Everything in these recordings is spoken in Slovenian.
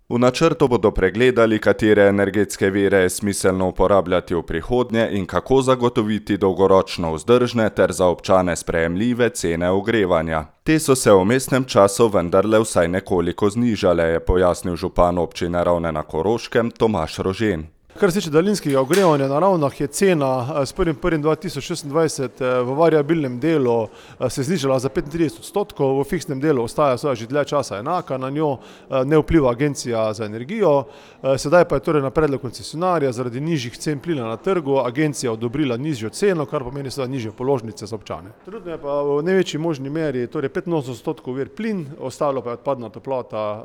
V načrtu bodo pregledali, katere energetske vire je smiselno uporabljati v prihodnje in kako zagotoviti dolgoročno vzdržne ter za občane sprejemljive cene ogrevanja. Te so se v vmesnem času vendarle vsaj nekoliko znižale, je pojasnil župan občine Ravne na Koroškem Tomaž Rožen. Kar se tiče daljinskega ogrevanja na Ravnah, je cena s 1.1.2026 v variabilnem delu se znižala za 35%, v fiksnem delu ostaja že dlje časa enaka, na njo ne vpliva Agencija za energijo. Sedaj pa je torej na predlog koncesionarja zaradi nižjih cen plina na trgu agencija odobrila nižjo ceno, kar pomeni seveda nižje položnice za občane. Trenutno je pa v največji možni meri, torej 85% vir plin, ostalo pa je odpadna toplota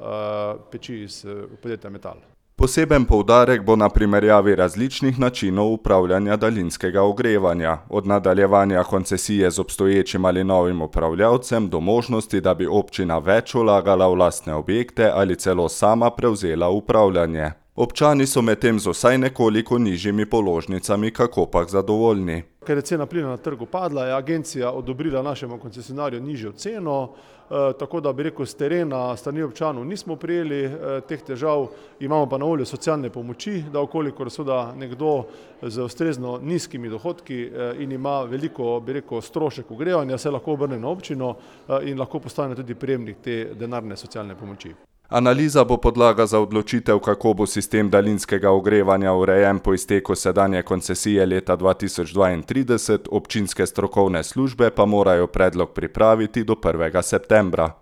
peči iz podjetja Metal. Poseben poudarek bo na primerjavi različnih načinov upravljanja daljinskega ogrevanja, od nadaljevanja koncesije z obstoječim ali novim upravljavcem do možnosti, da bi občina več vlagala v lastne objekte ali celo sama prevzela upravljanje. Občani so medtem z vsaj nekoliko nižjimi položnicami kakopak zadovoljni. Ker je cena plina na trgu padla, je agencija odobrila našemu koncesionarju nižjo ceno, tako da bi rekel, s terena strani občanov nismo prijeli teh težav, imamo pa na voljo socialne pomoči, da okolikor seveda nekdo z ustrezno nizkimi dohodki in ima veliko, bi rekel, strošek ogrevanja, se lahko obrne na občino in lahko postane tudi prejemnik te denarne socialne pomoči. Analiza bo podlaga za odločitev, kako bo sistem daljinskega ogrevanja urejen po izteku sedanje koncesije leta 2032, občinske strokovne službe pa morajo predlog pripraviti do 1. septembra.